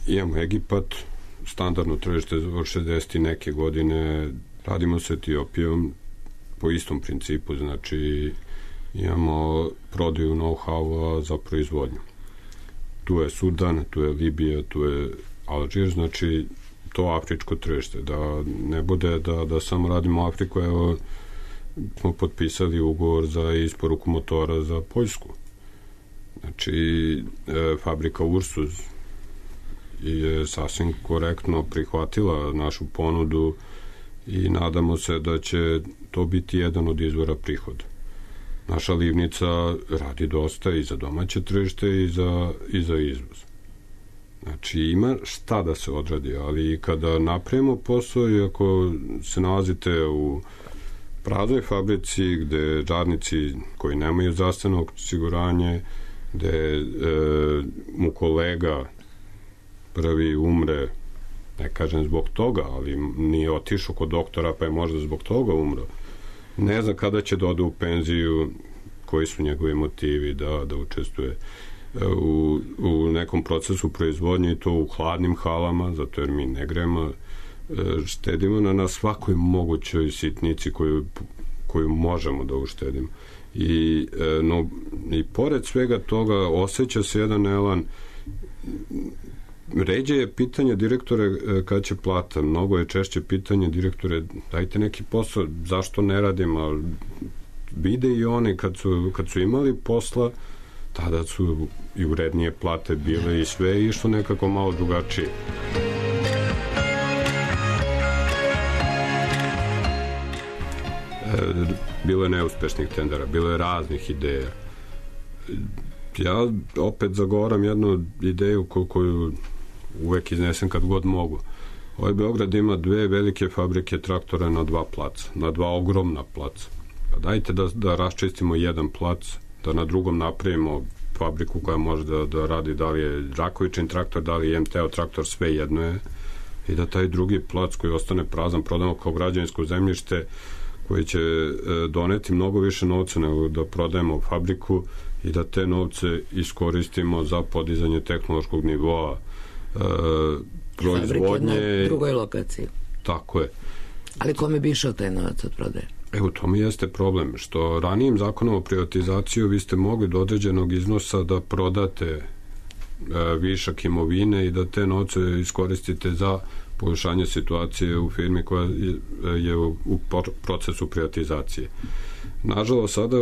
imamo Egipat, standardno tržište od 60 neke godine, radimo sa Etiopijom po istom principu, znači imamo prodaju know-how za proizvodnju. Tu je Sudan, tu je Libija, tu je Alžir, znači to afričko tržište, da ne bude da samo radimo Afriku. Evo, smo potpisali ugovor za isporuku motora za Poljsku. Znači, fabrika Ursus je sasvim korektno prihvatila našu ponudu i nadamo se da će to biti jedan od izvora prihoda. Naša livnica radi dosta i za domaće tržište i za izvoz. Znači, ima šta da se odradi, ali kada napravimo posao i ako se nalazite u praznoj fabrici gde radnici koji nemaju zdravstveno osiguranje, gde mu kolega prvi umre, ne kažem zbog toga, ali nije otišao kod doktora pa je možda zbog toga umro, ne zna kada će da ode u penziju, koji su njegovi motivi da učestvuje u nekom procesu proizvodnje i to u hladnim halama, zato jer mi ne gremo, štedimo na svakoj mogućoj sitnici koju možemo da uštedimo. I pored svega toga osjeća se jedan elan. Ređe je pitanje direktore kada će plata, mnogo je češće pitanje direktore, dajte neki posao, zašto ne radim, ali vide i oni kad su imali posla, tada su i urednije plate bile i sve išlo nekako malo drugačije. Bilo je neuspešnih tendera, bilo je raznih ideja. Ja opet zagovaram jednu ideju koju uvek iznesem kad god mogu. Ovaj Beograd ima 2 velike fabrike traktora na 2 placa, na 2 ogromna placa. Pa dajte da raščistimo jedan plac, da na drugom napravimo fabriku koja može da radi, da li je Rakovičin traktor, da li je MTO traktor, sve jedno je, i da taj drugi plac koji ostane prazan prodamo kao građevinsko zemljište koji će doneti mnogo više novca nego da prodajemo fabriku i da te novce iskoristimo za podizanje tehnološkog nivoa proizvodnje. Fabrike na drugoj lokaciji. Tako je. Ali kome bi išao taj novac od prodaje? Evo, to mi jeste problem, što ranijim zakonom o privatizaciju vi ste mogli do određenog iznosa da prodate višak imovine i da te novce iskoristite za poboljšanje situacije u firmi koja je u procesu privatizacije. Nažalost, sada,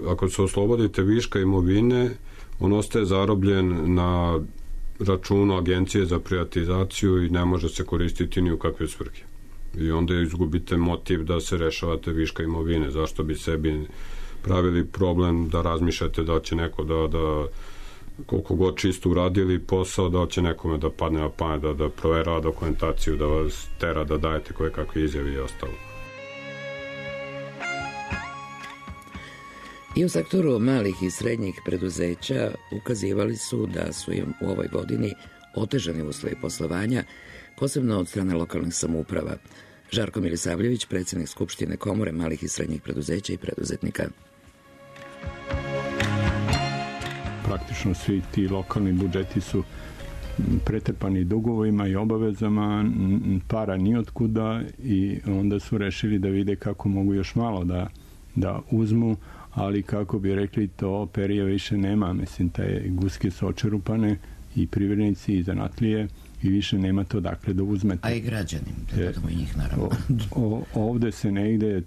ako se oslobodite viška imovine, on ostaje zarobljen na računu Agencije za privatizaciju i ne može se koristiti ni u kakve svrhe. I onda izgubite motiv da se rešavate viška imovine. Zašto bi sebi pravili problem da razmišljate da će neko da koliko god čisto uradili posao, da će nekome da padne na pamet, da proverava dokumentaciju, da vas tera da dajete koje kakve izjave i ostalo. I u sektoru malih i srednjih preduzeća ukazivali su da su im u ovoj godini otežani uslovi poslovanja, posebno od strane lokalnih samouprava. Žarko Milisavljević, predsjednik Skupštine Komore malih i srednjih preduzeća i preduzetnika. Praktično svi ti lokalni budžeti su pretrpani dugovima i obavezama, para nijotkuda, i onda su rešili da vide kako mogu još malo da uzmu, ali kako bi rekli, to perija više nema. Mislim, te guske su očerupane, i privrednici i zanatlije, i više nema to dakle da uzmete. A i građani, da dodamo i njih naravno. Ovde se negde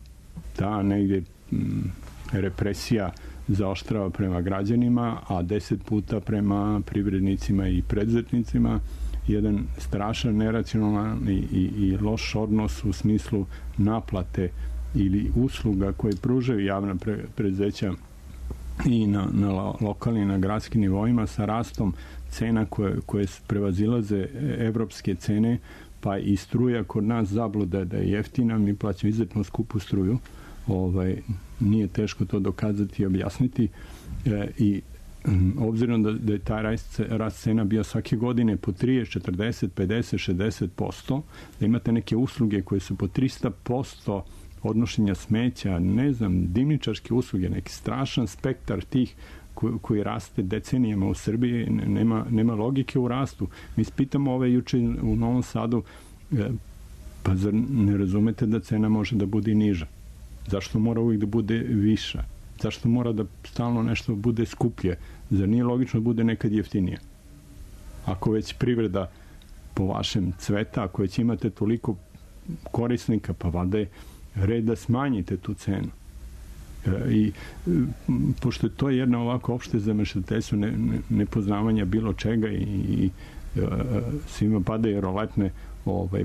represija zaoštrava prema građanima, a 10 puta prema privrednicima i preduzetnicima. Jedan strašan, neracionalan i loš odnos u smislu naplate ili usluga koje pružaju javna preduzeća i na lokalnim i na gradskim nivoima, sa rastom cena koje prevazilaze evropske cene, pa i struja kod nas zabluda da je jeftina, mi plaćamo izuzetno skupu struju. Nije teško to dokazati i objasniti, i obzirom da je taj rast cena bio svake godine po 30, 40, 50, 60%, da imate neke usluge koje su po 300% odnošenja smeća, ne znam, dimničarske usluge, neki strašan spektar tih koji raste decenijama u Srbiji, nema logike u rastu. Mi spitamo juče u Novom Sadu, pa zar ne razumete da cena može da bude i niža? Zašto mora uvijek da bude viša? Zašto mora da stalno nešto bude skuplje? Zar nije logično da bude nekad jeftinije? Ako već privreda po vašem cveta, ako već imate toliko korisnika, pa valjda je red da smanjite tu cenu. I pošto je to jedna ovako opšte zamešateljstvo, nepoznavanja bilo čega, i svima padaju roletne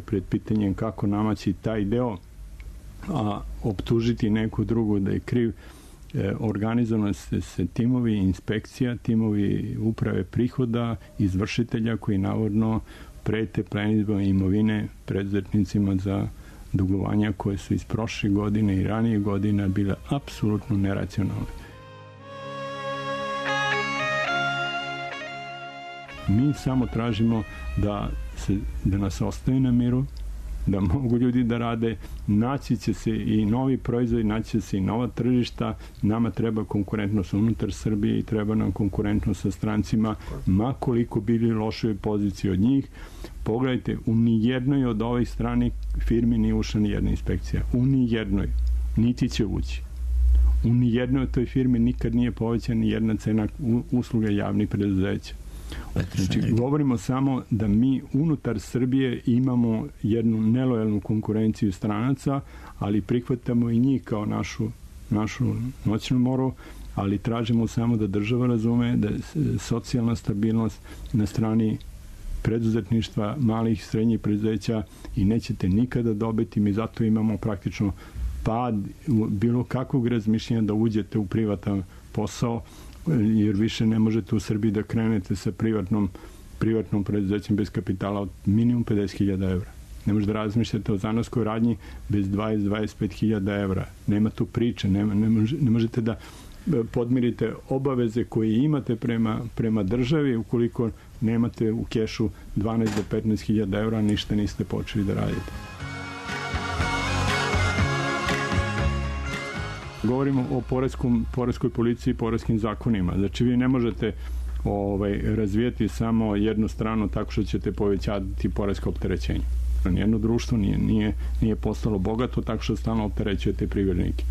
pred pitanjem kako namaći taj deo, a optužiti neku drugu da je kriv. Organizovano se timovi inspekcija, timovi uprave prihoda, izvršitelja koji navodno prete plenidbom imovine preduzetnicima za dugovanja koje su iz prošle godine i ranije godina bile apsolutno neracionalne. Mi samo tražimo da nas ostaje na miru, da mogu ljudi da rade, naći će se i novi proizvodi, naći će se i nova tržišta. Nama treba konkurentnost unutar Srbije i treba nam konkurentnost sa strancima, ma koliko bili lošoj poziciji od njih. Pogledajte, u nijednoj od ovih stranih firmi nije ušla ni jedna inspekcija. U nijednoj. Niti će ući. U nijednoj od toj firmi nikad nije povećana ni jedna cena usluga javnih preduzeća. Znači, govorimo samo da mi unutar Srbije imamo jednu nelojalnu konkurenciju stranaca, ali prihvatamo i njih kao našu noćnu moru, ali tražimo samo da država razume da je socijalna stabilnost na strani preduzetništva, malih i srednjih preduzeća, i nećete nikada dobiti. Mi zato imamo praktično pad bilo kakvog razmišljenja da uđete u privatan posao, jer više ne možete u Srbiji da krenete sa privatnom preduzećem bez kapitala od minimum 50.000 evra. Ne možete da razmišljate o zanatskoj radnji bez 20-25.000 evra. Nema tu priče, ne možete da podmirite obaveze koje imate prema državi ukoliko nemate u kešu 12 do 15.000 evra, ništa niste počeli da radite. Govorimo o poreskoj policiji i poreskim zakonima. Znači, vi ne možete razvijati samo jednu stranu tako što ćete povećati poresko opterećenje. Nijedno društvo nije postalo bogato tako što stalno opterećujete privrednike.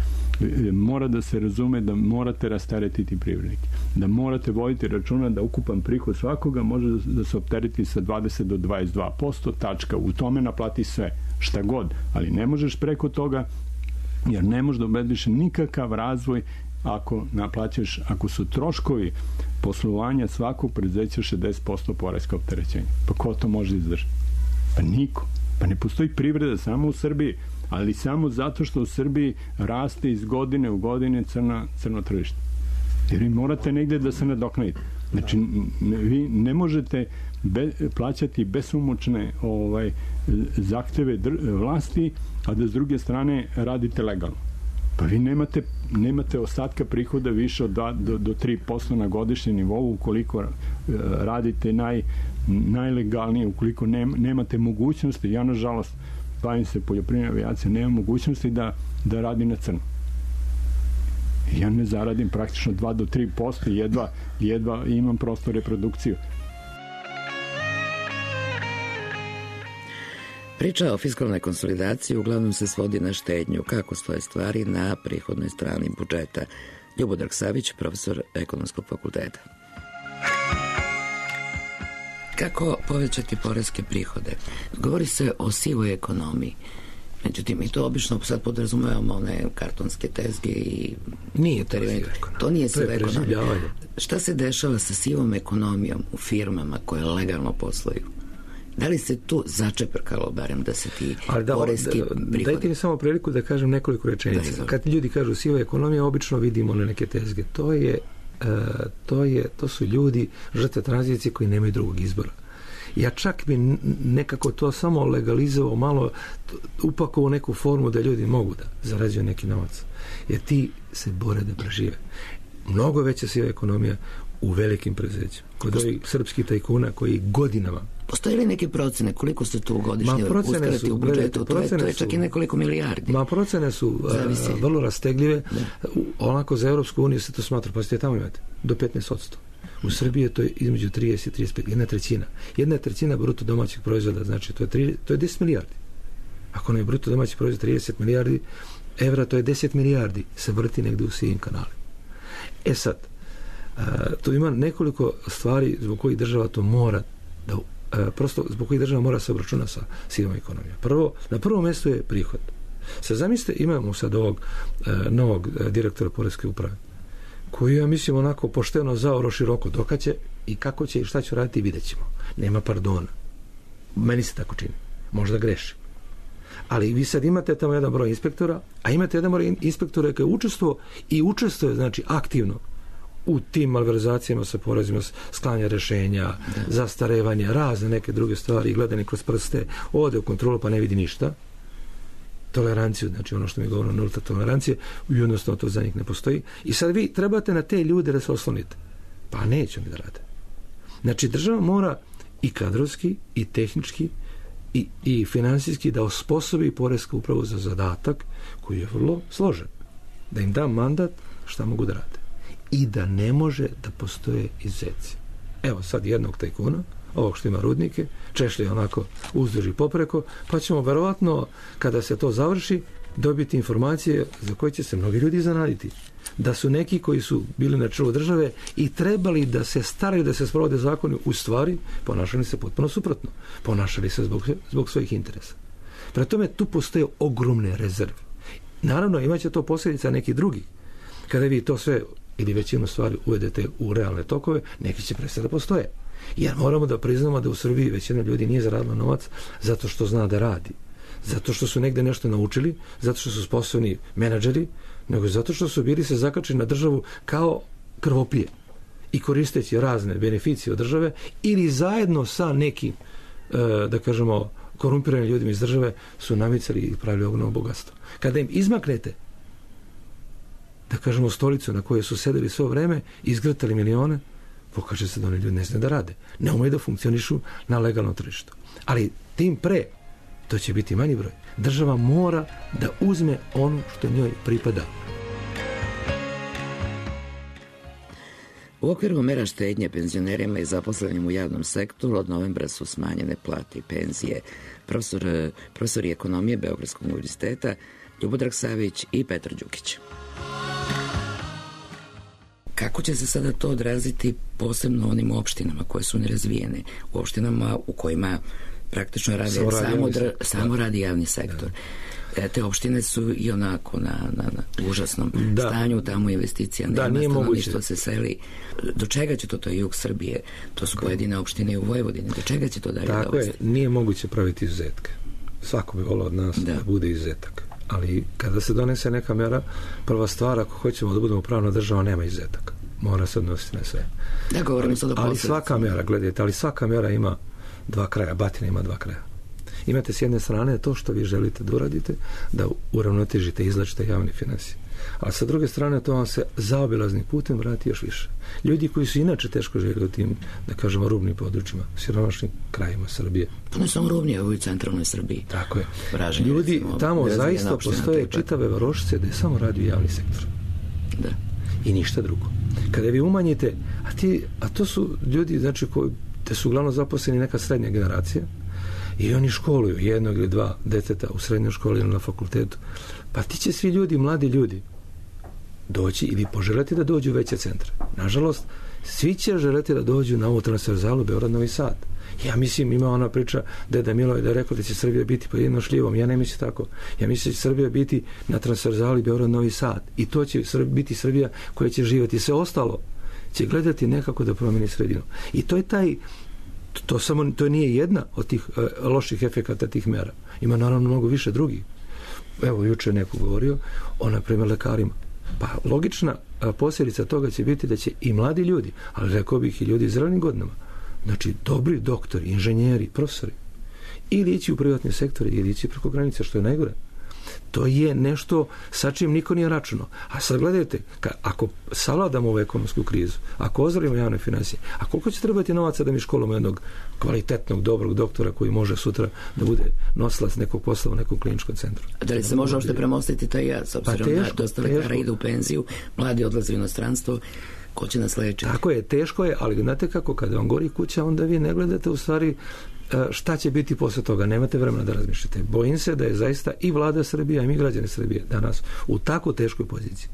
Mora da se razume da morate rasteretiti privrednike. Da morate voditi računa da ukupan prihod svakoga može da se optereti sa 20 do 22%, tačka. U tome naplati sve, šta god. Ali ne možeš preko toga, jer ne možeš da obezbediš nikakav razvoj ako su troškovi poslovanja svakog preduzeća 60% poreska opterećenja. Pa ko to može izdržati? Pa niko. Pa ne postoji privreda samo u Srbiji, ali samo zato što u Srbiji raste iz godine u godine crno tržište. Jer vi morate negde da se nadoknadite. Znači, vi ne možete plaćati besomučne zahteve vlasti, a da s druge strane radite legalno. Pa vi nemate ostatka prihoda više od 2 do 3% na godišnjem nivou ukoliko radite najlegalnije, ukoliko nemate mogućnosti. Ja, nažalost, bavim se poljoprivrednom avijacijom, nemam mogućnosti da radim na crno. Ja ne zaradim praktično 2 do 3%, jedva imam prosto reprodukciju. Priča o fiskalnoj konsolidaciji uglavnom se svodi na štednju. Kako stoje stvari na prihodnoj strani budžeta? Ljubodrag Savić, profesor Ekonomskog fakulteta. Kako povećati poreske prihode? Govori se o sivoj ekonomiji. Međutim, mi to obično sad podrazumevamo one kartonske tezge i... Nije to siva ekonomija. To nije siva ekonomija. Šta se dešava sa sivom ekonomijom u firmama koje legalno posluju? Da li se tu začeprkalo barem da se ti poreski prihodi? Dajte mi samo priliku da kažem nekoliko rečenica. Kad ljudi kažu siva ekonomija, obično vidimo na neke tezge. To su ljudi, žrtve tranzicije koji nemaju drugog izbora. Ja čak bi nekako to samo legalizovao, malo upakovao neku formu da ljudi mogu da zarađuju neki novac. Jer ti se bore da prežive. Mnogo veća siva ekonomija u velikim preduzećima. Kod ovih srpskih tajkuna koji godinama... Postoje li neke procene koliko se tu godišnje uskrati u budžetu? To je čak i nekoliko milijardi. Procene su vrlo rastegljive. Onako za Europsku uniju se to smatra, pa ste tamo imate, do 15%. U Srbiji to je između 30 i 35, jedna trećina bruto domaćeg proizvoda, znači to je 10 milijardi. Ako ne je bruto domaći proizvod 30 milijardi evra, to je 10 milijardi se vrti negdje u sivim kanalima. Sad, tu ima nekoliko stvari zbog kojih država to mora zbog kojih država mora se obračuna sa sivom ekonomijom. Na prvom mjestu je prihod. Sad zamislite, imamo sad ovog novog direktora poreske uprave, koji ja mislim onako pošteno zaoro široko dokaće i kako će i šta će raditi vidjet ćemo. Nema pardona. Meni se tako čini. Možda grešim. Ali vi sad imate tamo jedan broj inspektora, a imate jedan broj inspektora koji učestvuje znači aktivno u tim malverzacijama sa porezima, sklanja rešenja, zastarevanja, razne neke druge stvari, gledanje kroz prste, ode u kontrolu pa ne vidi ništa. Toleranciju, znači ono što mi govorimo, nulta tolerancije, jednostavno to za njih ne postoji. I sad vi trebate na te ljude da se oslonite. Pa neće oni da rade. Znači država mora i kadrovski, i tehnički, i finansijski da osposobi poresku upravu za zadatak koji je vrlo složen. Da im da mandat šta mogu da rade. I da ne može da postoje izuzeci. Evo sad jednog tajkuna, ovog što ima rudnike, češlje onako uzduž i popreko, pa ćemo verovatno, kada se to završi, dobiti informacije za koje će se mnogi ljudi zanaditi. Da su neki koji su bili na čelu države i trebali da se staraju da se sprovode zakoni, u stvari ponašali se potpuno suprotno. Ponašali se zbog svojih interesa. Prema tome, tu postoje ogromne rezerve. Naravno, imaće to posljedica neki drugi. Kada vi to sve ili većinu stvari uvedete u realne tokove, neki će prestati da postoje. Jer moramo da priznamo da u Srbiji većina ljudi nije zaradila novac zato što zna da radi. Zato što su negde nešto naučili, zato što su sposobni menadžeri, nego zato što su bili se zakačeni na državu kao krvopije i koristeći razne beneficije od države ili zajedno sa nekim, da kažemo, korumpiranim ljudima iz države su namicali i pravili ogromno bogatstvo. Kada im izmaknete, da kažemo, stolicu na kojoj su sedeli svo vreme i izgrtali milione, pokaže se da oni ljudi ne znaju da rade. Ne umeju da funkcionišu na legalnom tržištu. Ali tim pre, to će biti manji broj. Država mora da uzme ono što njoj pripada. U okviru mera štednje penzionerima i zaposlenim u javnom sektoru od novembra su smanjene plate i penzije. Profesori ekonomije Beogradskog univerziteta Ljubodrag Savić i Petar Đukić. Kako će se sada to odraziti posebno onim opštinama koje su nerazvijene, u opštinama u kojima praktično samo radi javni sektor? Te opštine su i onako na užasnom stanju, tamo investicija nema, stanovništvo se seli. Do čega će to je jug Srbije? To su pojedine opštine u Vojvodini. Do čega će to dalje dovesti? Tako je, nije moguće praviti izuzetke. Svako bi volao od nas da bude izuzetak. Ali kada se donese neka mera, prva stvar, ako hoćemo da budemo pravna država, nema izuzetaka. mora se odnositi na sve. Da, govorimo sad o ali svaka mjera, gledajte, ali svaka mjera ima dva kraja, batina ima dva kraja. Imate s jedne strane to što vi želite da uradite, da uravnotežite, izlačite javne financije. A sa druge strane to vam se zaobilaznim putem vrati još više. Ljudi koji su inače teško živjeli u tim, da kažemo, rubnim područjima, siromašnim krajima Srbije. Pa ne samo rubnije, ovo i centralnoj Srbiji. Tako je. Vraženje, ljudi recimo, tamo zaista postoje čitave varošice da je samo radio javni sektor. Da. I ništa drugo. Kada vi umanjite, a to su ljudi, znači, koji te su uglavnom zaposleni neka srednja generacija i oni školuju jednog ili dva deteta u srednjoj školi ili na fakultetu. Pa ti će svi ljudi, mladi ljudi, doći ili poželeti da dođu u veće centre. Nažalost, svi će želeti da dođu na ovu transverzalu Beograd-Novi Sad. Ja mislim, ima ona priča Deda Miloj da je rekao da će Srbija biti pod jednom šljivom. Ja ne mislim tako. Ja mislim da će Srbija biti na transverzali Beograd-Novi Sad. I to će biti Srbija koja će živjeti. Sve ostalo će gledati nekako da promeni sredinu. I to je to nije jedna od tih loših efekata tih mera. Ima naravno mnogo više drugih. Evo, juče neko govorio o, na primjer, lekarima. Pa logična posljedica toga će biti da će i mladi ljudi, ali rekao bih i ljudi iz zrelim godinama, znači dobri doktori, inženjeri, profesori, ili ići u privatni sektor ili ići preko granice, što je najgore. To je nešto sa čim niko nije računao. A sad gledajte, ako savladamo ovu ekonomsku krizu, ako ozdravimo javne financije, a koliko će trebati novaca da mi školimo jednog kvalitetnog, dobrog doktora koji može sutra da bude nosilac nekog posla u nekom kliničkom centru? A da li se može uopšte premostiti taj jaz, obzirom da dosta lekara ide u penziju, mladi odlaze u inostranstvo, ko će nas leći? Tako je, teško je, ali znate kako, kada vam gori kuća, onda vi ne gledate u stvari šta će biti posle toga, nemate vremena da razmišljate. Bojim se da je zaista i vlada Srbije i mi građani Srbije danas u tako teškoj poziciji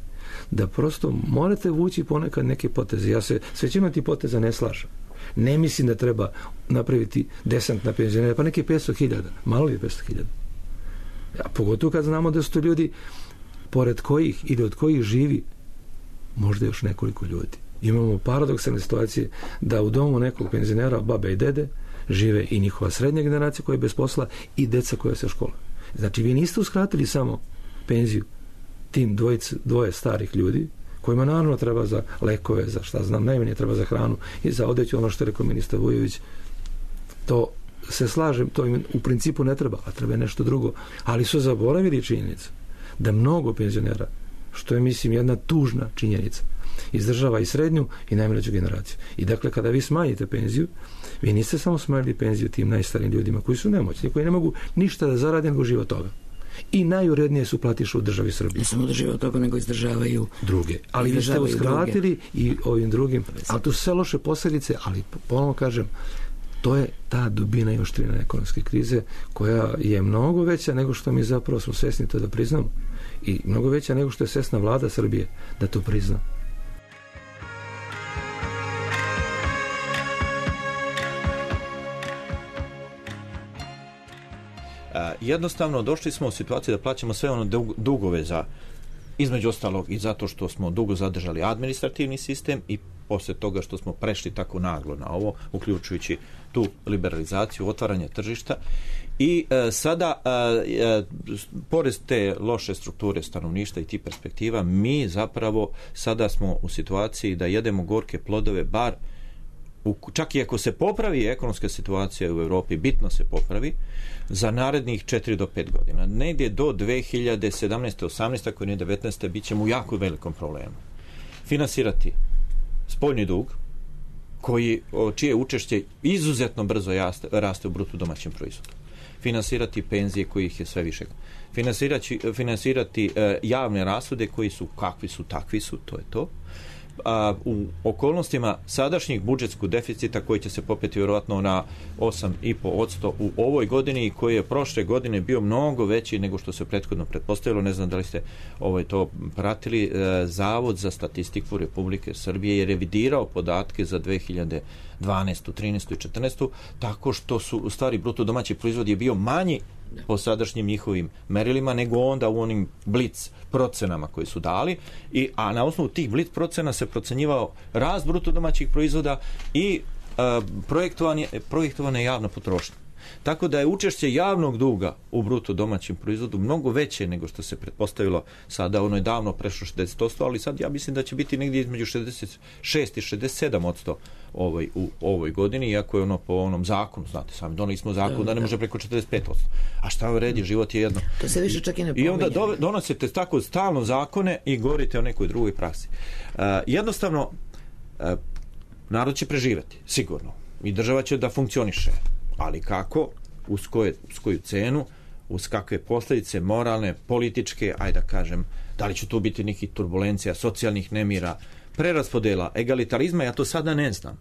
da prosto morate vući ponekad neke poteze. Ja se s većinom tih poteza ne slažem. Ne mislim da treba napraviti desant na penzionere, pa neki 500.000, malo je 500.000. A pogotovo kad znamo da su to ljudi pored kojih ili od kojih živi možda još nekoliko ljudi. Imamo paradoksalne situacije da u domu nekog penzionera, babe i dede, žive i njihova srednja generacija koja je bez posla i deca koja se škola. Znači, vi niste uskratili samo penziju tim dvoje starih ljudi, kojima naravno treba za lekove, za šta znam, najmanje treba za hranu i za odeću, ono što je rekao ministar Vujović. To se slažem, to im u principu ne treba, a treba nešto drugo. Ali su zaboravili činjenicu da mnogo penzionera, što je, mislim, jedna tužna činjenica, izdržava i srednju i najmlađu generaciju. I dakle, kada vi smanjite penziju, vi niste samo smanjili penziju tim najstarijim ljudima koji su nemoćni, koji ne mogu ništa da zarade nego žive od toga. I najurednije su platiše u državi Srbije. Ne samo da žive od toga, nego izdržavaju druge. Ali vi ste uskratili i ovim drugim. Ali to su sve loše posljedice, ali ponovno kažem, to je ta dubina i oštrina ekonomske krize koja je mnogo veća nego što mi zapravo smo svesni to da priznamo. I mnogo veća nego što je svesna vlada Srbije da to prizna. Jednostavno došli smo u situaciju da plaćamo sve ono dugove za, između ostalog i zato što smo dugo zadržali administrativni sistem i posle toga što smo prešli tako naglo na ovo, uključujući tu liberalizaciju, otvaranje tržišta i sada pored te loše strukture stanovništva i tih perspektiva, mi zapravo sada smo u situaciji da jedemo gorke plodove, bar čak i ako se popravi ekonomska situacija u Europi, bitno se popravi, za narednih 4 do 5 godina. Negdje do 2017. 18. ako nije 19. bit ćemo u jako velikom problemu. Finansirati spoljni dug, čije učešće izuzetno brzo raste u bruto domaćem proizvodu. Finansirati penzije kojih je sve više. Finansirati javne rashode koji su kakvi su, takvi su, to je to. U okolnostima sadašnjih budžetskog deficita koji će se popeti vjerojatno na 8,5% u ovoj godini i koji je prošle godine bio mnogo veći nego što se prethodno pretpostavilo. Ne znam da li ste to pratili. Zavod za statistiku Republike Srbije je revidirao podatke za 2012, 13 i 14 tako što su u stvari bruto domaći proizvod je bio manji po sadašnjim njihovim merilima nego onda u onim blic procenama koji su dali, a na osnovu tih blic procena se procenjivao rast bruto domaćih proizvoda i projektovana javna potrošnja. Tako da je učešće javnog duga u bruto domaćem proizvodu mnogo veće nego što se pretpostavilo sada. Ono je davno prešlo 60%, ali sad ja mislim da će biti negdje između 66 i 67% u ovoj godini, iako je ono po onom zakonu, znate, sami doneli smo zakon da ne može preko 45%. A šta vredi, život je jedno. To se više čak i ne pominje. I onda donosite tako stalno zakone i govorite o nekoj drugoj praksi. Jednostavno, narod će preživeti, sigurno. I država će da funkcioniše. Ali kako? Uz koju cenu? Uz kakve posljedice moralne, političke, ajde da kažem, da li će tu biti nekih turbulencija, socijalnih nemira, preraspodela, egalitarizma, ja to sada ne znam.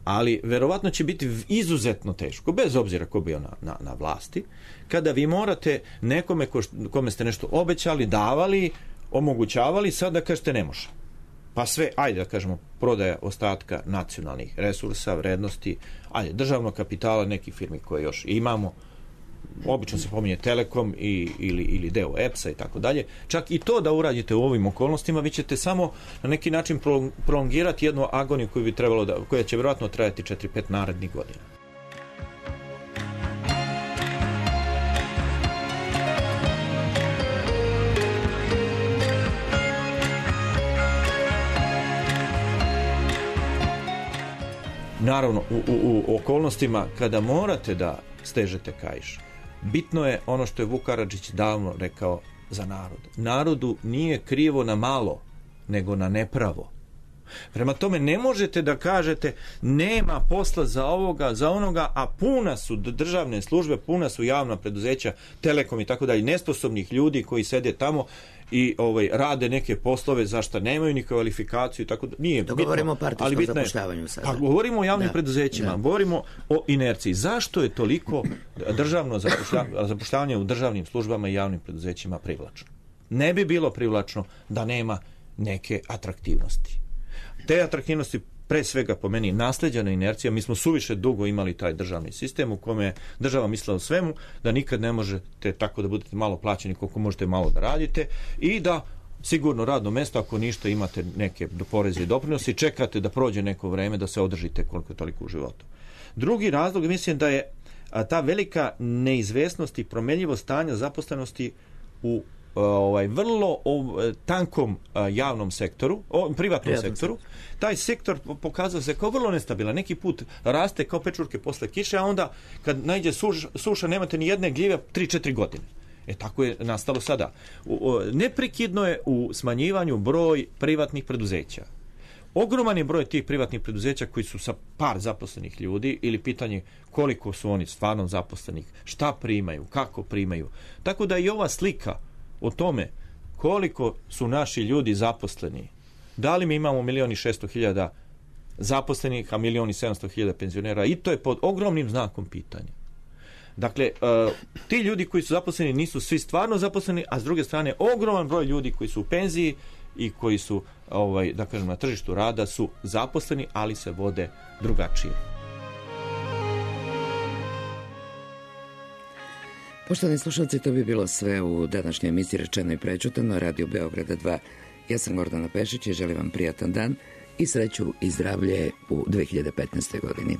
Ali verovatno će biti izuzetno teško, bez obzira ko bio na vlasti, kada vi morate nekome kome ste nešto obećali, davali, omogućavali, sad da kažete ne može. Pa sve, ajde da kažemo, prodaja ostatka nacionalnih resursa, vrednosti, ajde, državnog kapitala nekih firmi koje još imamo, obično se pominje Telekom ili deo EPS-a i tako dalje. Čak i to da uradite u ovim okolnostima, vi ćete samo na neki način prolongirati jednu agoniju koja će vjerojatno trajati 4-5 narednih godina. Naravno, u okolnostima kada morate da stežete kaiš, bitno je ono što je Vuk Karadžić davno rekao za narod. Narodu nije krivo na malo, nego na nepravo. Prema tome, ne možete da kažete nema posla za ovoga, za onoga, a puna su državne službe, puna su javna preduzeća, Telekom i tako dalje, nesposobnih ljudi koji sede tamo i rade neke poslove za što nemaju ni kvalifikaciju i tako da nije bitno. Govorimo o partijskom zapošljavanju sada. Pa govorimo o javnim preduzećima, govorimo o inerciji. Zašto je toliko državno zapošljavanje u državnim službama i javnim preduzećima privlačno? Ne bi bilo privlačno da nema neke atraktivnosti. Te atraktivnosti pre svega po meni nasleđena inercija. Mi smo suviše dugo imali taj državni sistem u kome je država mislila o svemu, da nikad ne možete tako da budete malo plaćeni koliko možete malo da radite i da sigurno radno mesto, ako ništa imate neke poreze i doprinose i čekate da prođe neko vreme da se održite koliko toliko u životu. Drugi razlog, mislim da je ta velika neizvesnost i promenljivost stanja zaposlenosti u vrlo tankom javnom sektoru, privatnom sektoru. Taj sektor pokazao se kao vrlo nestabilan. Neki put raste kao pečurke posle kiše, a onda kad najde suša nemate ni jedne gljive 3-4 godine. Tako je nastalo sada. Neprekidno je u smanjivanju broj privatnih preduzeća. Ogroman je broj tih privatnih preduzeća koji su sa par zaposlenih ljudi ili pitanje koliko su oni stvarno zaposlenih, šta primaju, kako primaju. Tako da i ova slika o tome koliko su naši ljudi zaposleni, da li mi imamo 1.600.000 zaposlenih, a 1.700.000 penzionera, i to je pod ogromnim znakom pitanja. Dakle, ti ljudi koji su zaposleni nisu svi stvarno zaposleni, a s druge strane ogroman broj ljudi koji su u penziji i koji su da kažem, na tržištu rada su zaposleni, ali se vode drugačije. Poštovani slušalci, to bi bilo sve u današnjoj emisiji Rečeno i prečutano, Radio Beograda 2. Ja sam Gordana Pešić i želim vam prijatan dan i sreću i zdravlje u 2015. godini.